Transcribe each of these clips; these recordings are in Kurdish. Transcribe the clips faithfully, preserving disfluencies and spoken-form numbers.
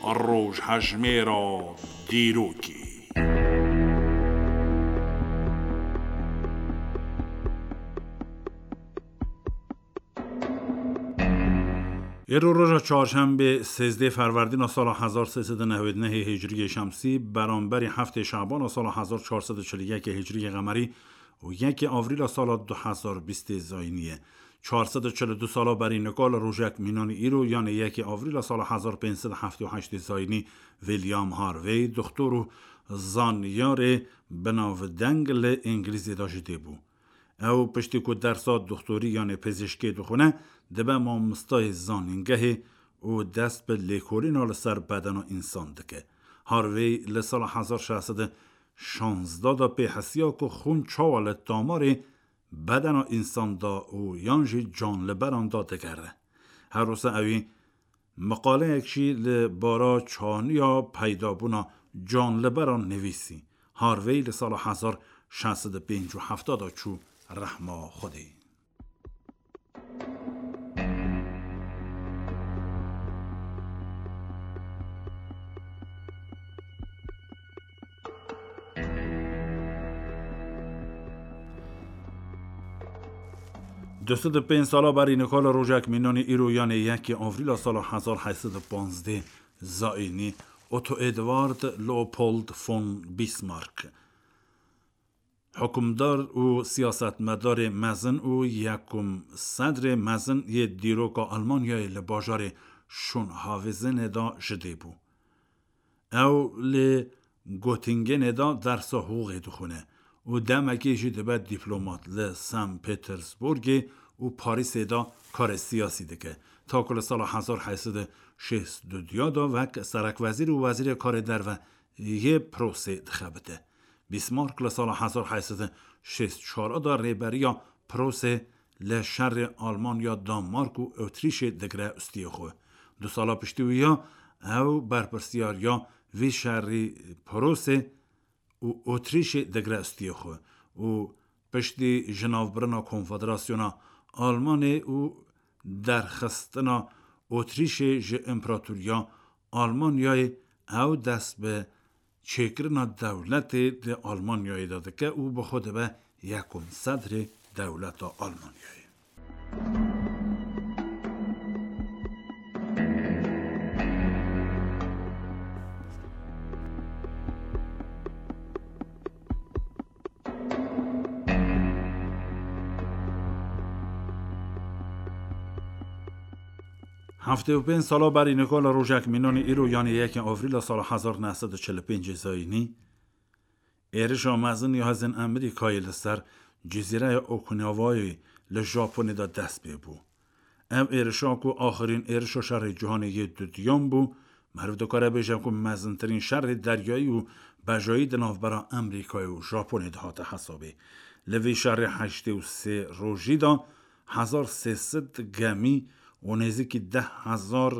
Rojhejmêra dîrokê. Îro roja çarşembê, sêzdeh Ferwerdîna sala hezar sê sed û newêd nehê Hicriyê Şemsî, beramberî heftê Şabana sala hezar çar sed û çil û yekê Hicriyê Qemerî û yekê Avrîla sala du hezar bîstê Zayînî ye. Çar sed û çil û du sala berî nika li rojek mînanî îro, yanê yekê Avrîla sala hezar pênc sed û heftê û heştê Zayînî, William Harvey, doktor û zanyarê binavdeng li Îngilîzê de ji dê bû. Ew piştî ku dersa doktorî yanê pizîşkê dixwine, dibe mamostayê zanîngehê û dest bi lêkolîna li ser bedena însan dike. Harvey li sala hezar şeş sed û şazdeh de pê hesiya ku xûn çawa li damarê bedena însan de û yan jî canliberan de digere. Her wisa ewî miqaleyek jî li bara çaniya peydabûna canliberan nivîsî. Harvey li sala hezar şeş sed û pêncî û heft de çû rehma Xwedê. Du sed û pênc sala berî nika li rojek mînanî îro, yanê yekê Avrîla sala hezar heyt sed û panzdeh Zayînî, Otto Eduard Leopold von Bismarck, hukimdar û siyasetmedarê mezin û yekum sedrê mezin yê dîroka Almanyayê li bajarê Schönhausenê de ji dê bû. Ew li Göttingenê de dersa hiqûqê dixwîne û demekê jî dibe dîplomat, li St. Petersburgê û Parîsê de karê siyasî dike, ta ku li sala hezar heyt sed û şêst û du de wek serekwezîr û wezîrê karê derve yê Prosê dixebite. Bismarck li sala hezar heyt sed û şêst û çar de rêberiya Prosê li şerê Almanya, Danmark û Otrîşê digre ustiyê xwe. Du sala piştî wî ya ew berpirsiyariya vî şerî Prosê û Otrîşê digre ustiyê xwe û piştî jinavbirina Konfederasyona Almanê û derxistina Otrîşê ji Împaratoriya Almanyayê, ew dest bi çêkirina dewletê di Almanyayê de dike û bi xwe dibe yekum sedrê dewleta Almanyayê. Heftê û pênc sala berî nika li rojek mînanî îro, yanê yekê Avrîla sala hezar neh sed û çil û pêncê Zayînî, êrişa mezin ya hêzên Amerîkayê li ser cizîreya Okinawayê li Japonê de dest pê bû. Ev êrişa ku axirîn êrişa şerê cîhanê yê dudiyan bû, meriv dikare bêje ku mezintirîn şerê deryayî û bejayî di navbera Amerîkayê û Japonê de hate hesabê. Li vî şerê heştê û sê rojî de hezar sê sed gemî û nêzîkî deh hezar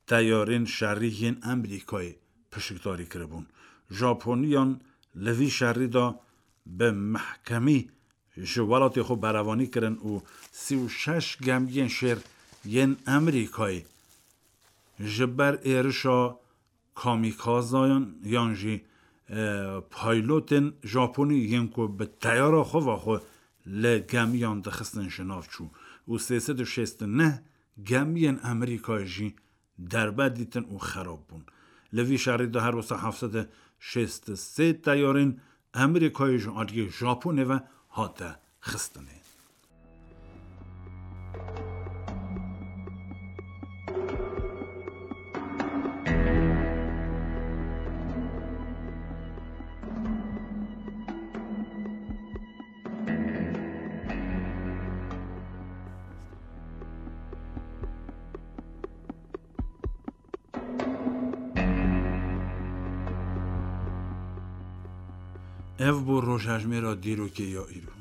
teyarên şerî yên Amerîkayê pişikdarî kiribûn. Japoniyan li vî şerî de bi mehkemî ji welatê xwe berevanî kirin û sî û şeş gemiyên şêr yên Amerîkayê ji ber êrişa kamîkazayan yan jî, e, paylotên Japonî yên ku bi teyara xwe ve xwe li gemiyan dixistin ji nav çû û sê sed û şêst û neh gemiyên Amerîkayê jî derbe dîtin û xerab bûn. Li vî şerî de her wisa heft sed û şêst û sê teyarên Amerîkayê ji aliyê Japonê ve hate xistinê. Ev bû rojhejmêra dîrokê ya îro.